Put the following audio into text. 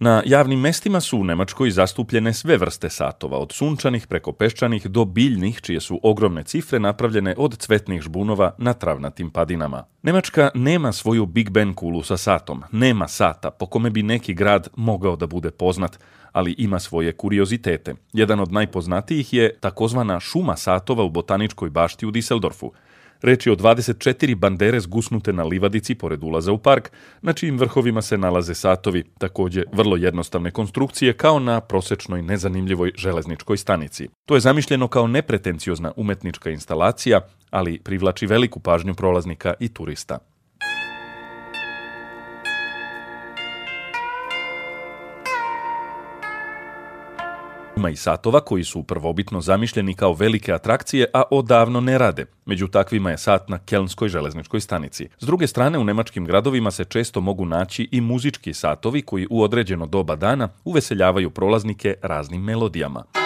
Na javnim mestima su u Nemačkoj zastupljene sve vrste satova, od sunčanih preko peščanih do biljnih, čije su ogromne cifre napravljene od cvetnih žbunova na travnatim padinama. Nemačka nema svoju Big Ben kulu sa satom, nema sata po kome bi neki grad mogao da bude poznat, ali ima svoje kuriozitete. Jedan od najpoznatijih je takozvana šuma satova u botaničkoj bašti u Düsseldorfu. Reč je o 24 bandere zgusnute na livadici pored ulaza u park, na čijim vrhovima se nalaze satovi, također vrlo jednostavne konstrukcije kao na prosečnoj nezanimljivoj železničkoj stanici. To je zamišljeno kao nepretenciozna umetnička instalacija, ali privlači veliku pažnju prolaznika i turista. Ima i satova koji su prvobitno zamišljeni kao velike atrakcije, a odavno ne rade. Među takvima je sat na Kelnskoj železničkoj stanici. S druge strane, u nemačkim gradovima se često mogu naći i muzički satovi koji u određeno doba dana uveseljavaju prolaznike raznim melodijama.